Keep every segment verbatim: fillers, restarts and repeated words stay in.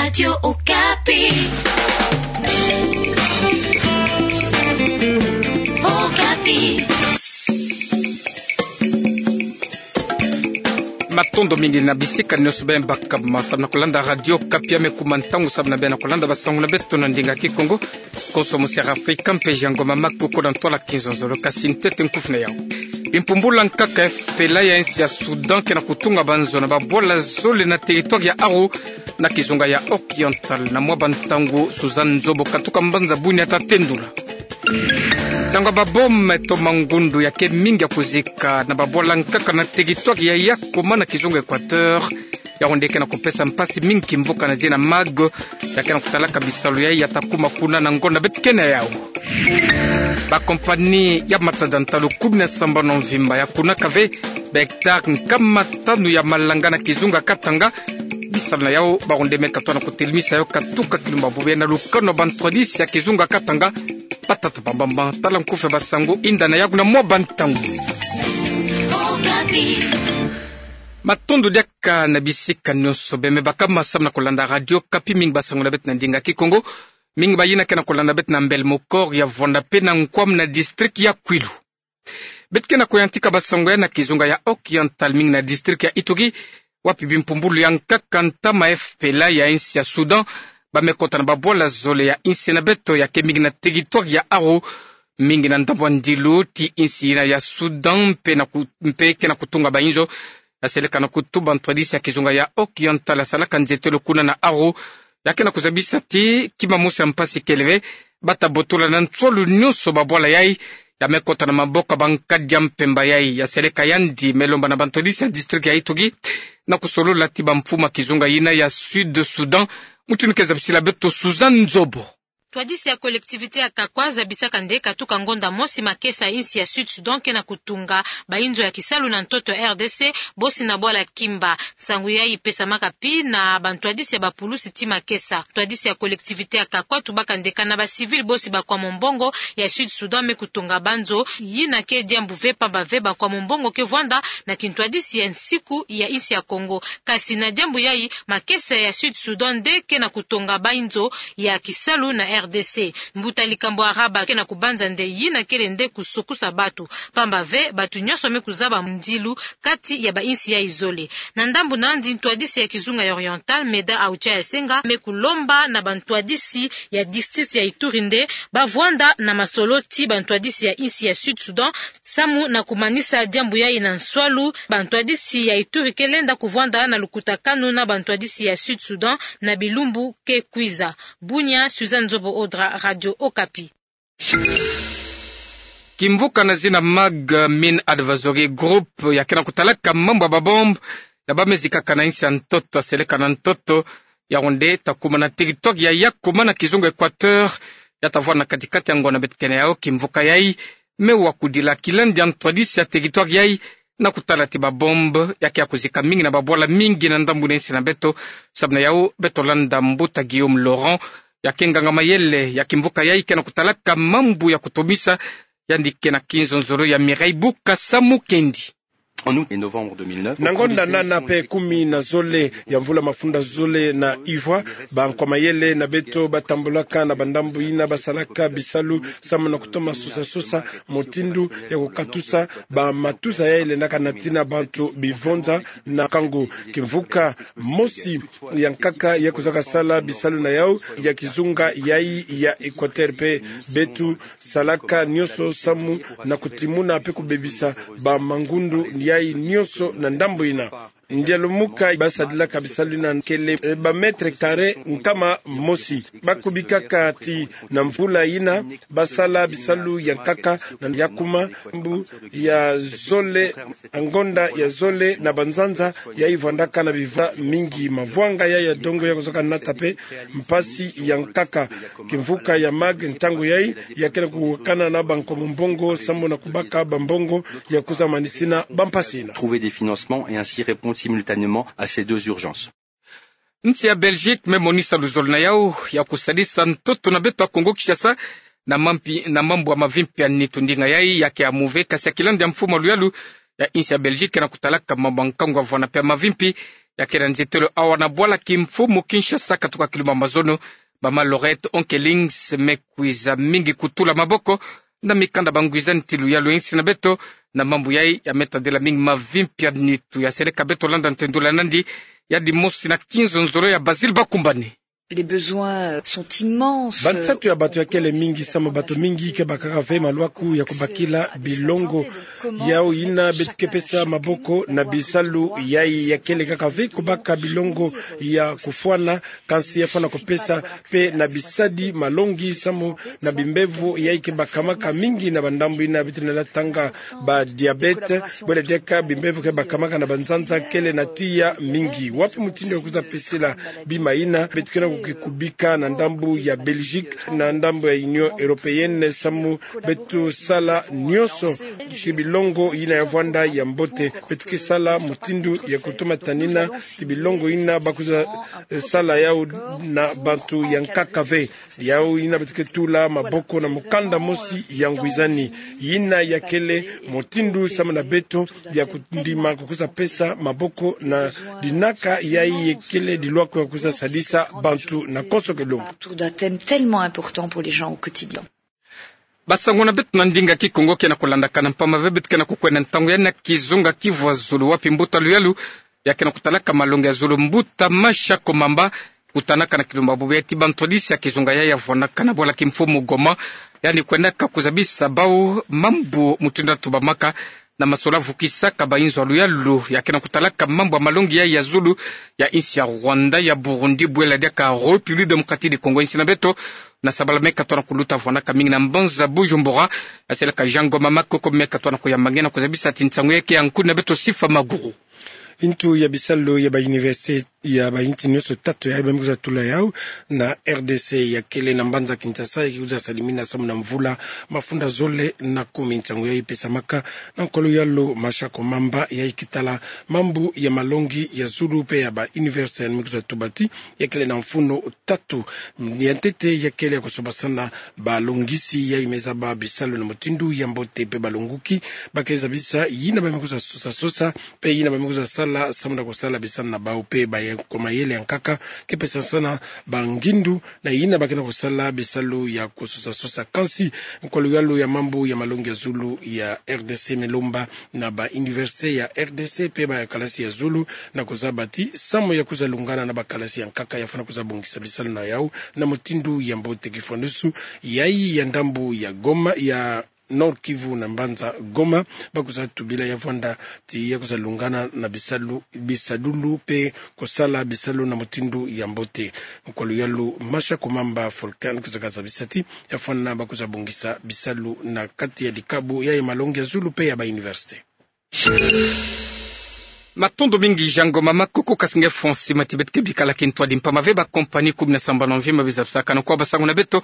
Radio Okapi. Okapi. Matondo mingi na bisika nyonso bê bakama samu na kulanda Radio Okapi. Ame kuma ntangu samu na bê na kulanda basango na beto na ndinga Kikongo. Konso mo Sierra Africa, mpeji ya ngoma maku koda ntwala kinzonzolo, kasi ntete nkufi na yau. Bimpumbulu ya nkaka F P L A ya insi ya Soudan ke na kutunga banzo na babwala zole na territoire ya Aru, na kizunga ya Oriental, na mwa bantangu Suzanne Nzobo katuka mbanza buni ya tatendula. Nsangu ya babombe to mangundu ya ke mingi ya kuzika na babwala nkaka na territoire ya Yakoma na kizunga Equateur, yawu nde ke na kupesa mpasi mingi kimvuka na zina Mag, ya ke na kutalaka bisalu yai ya ta kuma kuna na ngonda beto ke na yau. Bakompani ya matada ntalu kumi na sambanu mvimba ya kunaka ve bahectare nkama tanu ya malanga na kizunga Katanga. Bisalu na yau, bawu nde me katwa na kutelimisa yau katuka kilumbu bubu na lukanu ya bantwadisi ya kizunga Katanga. Batata bambamba, tala nkufi ya basango, yinda na yau na mwa bantangu. Matondo diaka na bisika nyonso bê me bakama samu na kulanda Radio Okapi. Mingi basango na beto na ndinga Kikongo. Mingi bayina ke na kulanda beto na mbele mokoro ya vwanda pe na nkwam na district ya Kwilu. Beto ke na kuyantika basango yai na kizunga ya Oriental, mingi na district ya Ituri, wapi bimpumbulu ya nkaka ntama F P L A ya insi ya Soudan ba me kota na babwala zole ya insi na beto ya ke mingi na territoire ya Aru, mingi na ndambu ya ndilu ti insi yina ya Soudan, mpe na ku-, mpe ke na kutunga bainzo. Ya seleka na kutuba ntwadisi ya kizunga ya Oriental ya salaka nzietelo kuna na Aru, ya ke na kuzabisa ti kima mosi ya mpasi kele ve, ba ta botola na nswalu nyonso babwala yai ya me kota na maboko ya bankadi ya mpemba yai. Ya seleka yandi me lomba na bantwadisi ya district ya Ituri na kusolola ti bamfumu ya kizunga yina ya Sud Soudan. Mutindu ke zabisila beto Suzanne Nzobo. Ntwadisi ya collectivité ya Kakwa zabisaka nde katuka ngonda mosi makesa ya insi ya Sud Soudan ke na kutunga bainzo ya kisalu na ntoto ya R D C, bosi na bwala Kimba. Nsangu yai pesamaka pi na bantwadisi ya bapulusi ti makesa. Ntwadisi ya collectivité ya Kakwa tubaka nde kana bacivil bosi bakwa mombongo ya Sud Soudan me kutunga banzo, yina ke diambu ve, pamba ve bakwa mombongo ke vwanda na kintwadisi ya nsiku ya insi ya Kongo. Kasi na diambu yai, makesa ya Sud Soudan nde ke na kutunga bainzo ya kisalu na R D C. Mbuta likambo Araba ke na kubanza nde yina kele nde kusokusa batu, pamba ve batu nyonso me kuzaba ndilu kati ya bainsi yai zole. Na ndambu na yandi, ntwadisi ya kizunga ya Oriental, Meda Aucha ya Senga, me kulomba na bantwadisi ya district ya Ituri nde ba vwanda na masolo ti bantwadisi ya insi ya Sud Soudan samu na kumanisa diambu yai na nswalu. Bantwadisi ya Ituri ke lenda kuvwanda na lukutakanu na bantwadisi ya Sud Soudan na bilumbu ke kwiza. Bunia, Suzanne Nzobo Odra, Radio Okapi. Kimvuka na zina Mag Min Advisory Group ya ke na kutalaka mambu ya babombe ya ba me zikaka na insi ya ntoto, ya seleka na ntoto, yawu nde ta kuma na territoire ya Yakoma na kizunga Equateur, ya ta vwanda na kati-kati ya ngonda beto ke na yau. Kimvuka yai me wakudila kilandi ya ntwadisi ya territoire yai na kutala ti babombe ya ke ya kuzika mingi na babwala mingi na ndambu na insi na beto. Samu na yau, beto landa mbuta Guillaume Laurent, ya ke nganga-mayele ya kimvuka yai ke na kutalaka mambu ya kutomisa. Yandi ke na kinzonzolo ya Mireille Bukasa Mukendi. En août et novembre deux mille neuf, na ngonda nana pe kumi na zole ya mvula mafunda zole na ivwa, bankwa mayele na beto ba tambulaka na bandambu yina ba salaka bisalu samu na kutoma sosa-sosa mutindu ya kukatusa bamatuza yai lendaka natina bantu bivonza na kangu. Kimvuka mosi ya nkaka ya kuzaka sala bisalu na yau ya kizunga yai ya Equateur pe. Beto salaka nyonso samu na kutimuna pe kubebisa bamangundu yai nyonso na ndambu yina. Ndialu muka ba sadilaka bisalu yina kele, eh, ba mètres carrés nkama mosi. Ba kubikaka ti na mvula yina ba sala bisalu ya nkaka na Yakoma, mbu ya zole, ngonda ya zole na banzanza yai vwandaka na biva mingi. Mavwanga yai ya dongo ya kuzaka nata pe mpasi ya nkaka. Kimvuka ya Mag ntangu yai ya ke na kuwakana na bankwa mombongo samu na kubaka bambongo ya kuza manisina bampasi yina. Trouver des financements et ainsi répondre simultanément à ces deux urgences. Nsi ya Belgique me monisa luzolo na yau ya kusadisa ntoto na beto ya Congo Kinshasa na mampi-, na mambu ya mavimpi ya nitu. Ndinga yai ya ke ya muve, kasi ya kilandi ya mfumu ya luyalu ya nsi ya Belgique na kutalaka mambu ya nkangu ya vwanda pe ya mavimpi Ya kele nzitelo awa na bwala kimfumu Kinshasa, katoka kilumbu ya mazono, mama Laurette Onkelings me kwiza mingi kutula maboko na mikanda bangwizani ti luyalu ya insi na beto. Na mambu yayi ya me tadila mingi mavimpi ya nitu. Ya seleka beto landa ntendula nandi ya dimosi na kinzonzolo ya Basile Bakumbane. Les besoins sont immenses. Bansatu ya bato ya kele mingi, samu bato mingi ke bakaka ve malwaku ya kubakila bilongo. Yau yina beto ke pesa maboko na bisalu yayi ya kele kaka ve kubaka bilongo ya kufwana, kansi ya fwana kupesa pe na bisadi malongi, samu na bimbevo yayi ke bakamaka mingi na bandambu yina beto na tanga ba diabète, bwele diaka bimbevo ke bakamaka na banzanza kele na tiya mingi. Wapi mutindu ya kwiza pesela bima yina? Beto ke na kukikubika na ndambu ya Belgique, na ndambu ya Union Européenne, samu beto sala nionso ti bilongo yina ya vwanda ya mbote. Beto ke sala mutindu ya kutumatanina ti bilongo yina ba kwiza, eh, sala yau na bantu ya nkaka ve. Yau yina beto ke tula maboko na mukanda mosi ya ngwizani. Yina ya kele mutindu samu na beto ya kundima kukwiza pesa maboko na dinaka yayi ya kele dilwaku ya kwiza sadisa bantu na konso ke lumbu. Autour d'un thème tellement important pour les gens au quotidien. Basango na beto na ndinga Kikongo ke na kulandakana mpamba ve, beto ke na kukwenda ntangu yayi na kizunga Kivu ya Zulu, wapi mbuta luyalu ya ke na kutalaka malongi ya zulu, mbuta Masha Komamba, kutanaka na kilumbu ya bubu ya ti bantwadisi ya kizunga yayi ya vwanaka na bwala kimfumu Goma, yandi kwendaka kuzabisa bau mambu mutindu ya tubamaka na masolo ya vukisaka bainzo ya luyalu. Ya ke na kutalaka mambu ya malongi yayi ya zulu ya insi ya Rwanda, ya Burundi, bwele diaka République Démocratique du Congo, insi na beto. Na sabala me katoa na kuluta, vwanaka mingi na mbanza Bujumbura. Ya seleka Jean Ngoma Makoko me katoa na kuyamba nge na kuzabisa ti nsangu yayi ke ya nkuni na beto Sifa Maguru. Intu ya bisalu ya ba université ya ba inti nionso tatu yayi ba me kwiza tula yau na R D C ya kele na mbanza Kinshasa, ya ke kwiza salimina samu na mvula mafunda zole na kumi. Nsangu yayi pesamaka na nkwa luyalu Masha Komamba, yayi ke tala mambu ya malongi ya zulu pe ya ba université, ya me kwiza tuba ti ya kele na mfunu tatu. Ya ntete ya kele ya kusobasana balongisi yayi me zaba bisalu na mutindu ya mbote pe balonguki, ba ke zabisa yina ba me kwiza sosa sosa pe yina ba me kwiza sala samu na kusala bisalu na bau pe ba ya kwa mayele ya nkaka ke pesasana bangindu na yina ba ke na kusala bisalu ya kusosa sosa. Kansi nkwa luyalu ya mambu ya malongi ya zulu ya R D C me lomba na ba université ya R D C pe ba kalasi ya zulu na kuzaba ti samu ya kwiza lungana na ba kalasi ya nkaka, ya fwana kwiza bongisa bisalu na yau na mutindu ya mbote. Kifwanusu yayi ya ndambu ya Goma, ya Nord-Kivu na mbanza Goma, ba kwiza tubila ya vwanda ti ya kwiza lungana na bisalu, bisadulu pe kusala bisalu na mutindu ya mbote. Nkwa luyalu Masha Komamba Volcan kwiza kazabisa ti ya fwana ba kwiza bongisa bisalu na kati ya dikabu yayi ya malongi ya zulu pe ya ba université. Matondo mingi Jean Ngoma Makoko. Kasi nge fwa nsima ti beto ke bikala kintwadi mpamba ve ba compagnie kumi na sambanu mvimba bizabisakana kwa basango na beto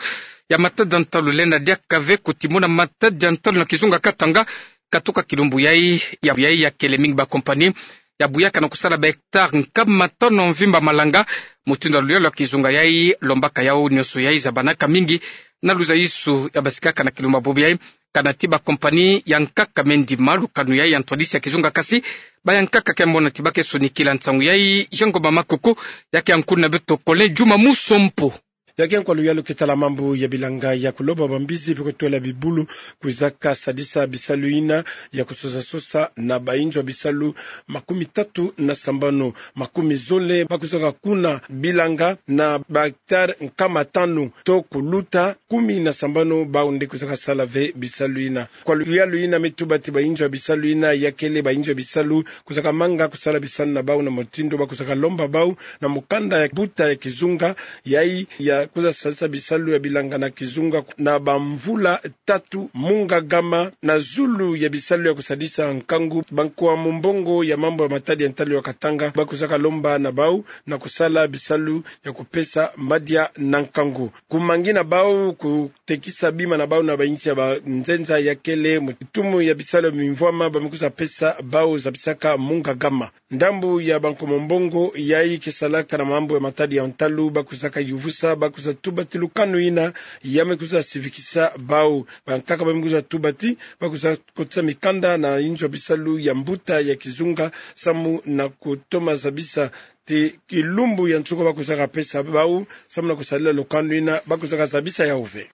ya matadi ya ntalu, lenda diaka ve kuti mona matadi ya ntalu na kizunga Katanga, katoka kilumbu yayi ya, yayi ya kele mingi ba compagnie ya buyaka na kusala ba hectare nkama tanu mvimba malanga. Mutindu ya luyalu ya kizunga yayi lombaka yau nionso yayi zabanaka mingi na luzayisu ya basikaka na kilumbu ya bubu yayi. Kana ti ba compagnie ya nkaka me ndima lukanu yayi ya ntwadisi ya kizunga, kasi ba ya nkaka ke mona ti ba ke sonikila. Nsangu yayi Jean Ngoma Makoko, ya ke ya nkuni na beto Colin Juma Musompo. Ya ke nkwa luyalu ke tala mambu ya bilanga ya kuloba bambizi pe kutwela bibulu, kwizaka sadisa bisalu yina ya kusosa sosa na bainzo ya bisalu makumi tatu na sambanu, makumi zole ba kwizaka kuna bilanga na ba hectare nkama tanu to kuluta, kumi na sambanu bau nde kwizaka sala ve bisalu yina. Nkwa luyalu yina me tuba ti bainzo ya bisalu yina ya kele bainzo ya bisalu kwizaka manga kusala bisalu na bau na mutindu ba kwizaka lomba bau na mukanda ya mbuta ya kizunga yayi ya kwiza sadisa bisalu ya bilanga na kizunga na bamvula tatu mu ngagama na zulu ya bisalu ya kusadisa nkangu. Bankwa mumbongo ya mambu ya matadi ya ntalu ya Katanga ba kwizaka lomba na bau na kusala bisalu ya kupesa madia na nkangu. Kumangi na bau, kutekisa bima na bau na bainsi ya banzenza ya kele mu kitumu ya bisalu ya bimvwama ba me kwiza pesa bau zabisaka mu ngagama. Ndambu ya bankwa mumbongo yayi ke salaka na mambu ya matadi ya ntalu ba kwizaka yuvusa, ba kwiza tubati lukanu ina, ya me kwiza sivikisa bau. Bankaka ba me kwiza tubati, ba kwiza kotisa mikanda na inzo bisalu ya mbuta ya kizunga, samu na kutoma zabisa ti kilumbu ya nsuko ba kwiza kapesa bau, samu na kusalila lukanu ina, ba kwiza kazabisa yau ve.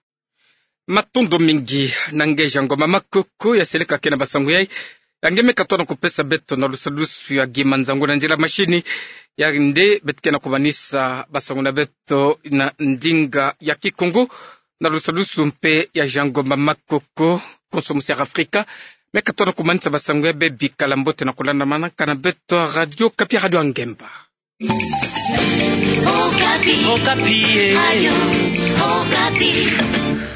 Matondo mingi na ngeja ngoma makoko ya seleka kena basangu yai. Ya nge me katona kupesa beto na lusadusu ya gi manzangu na nzila mashini. Ya nde beto kena kumanisa basangu na beto na ndinga ya Kikongo, na lusadusu mpe ya Jean Ngoma Makoko, konso musi ya Afrika. Me katona kumanisa basangu ya bebi, kala mbote na kulandamana kana beto Radio Okapi, Radio ya ngemba. Okapi. Okapi, eh. Radio Okapi.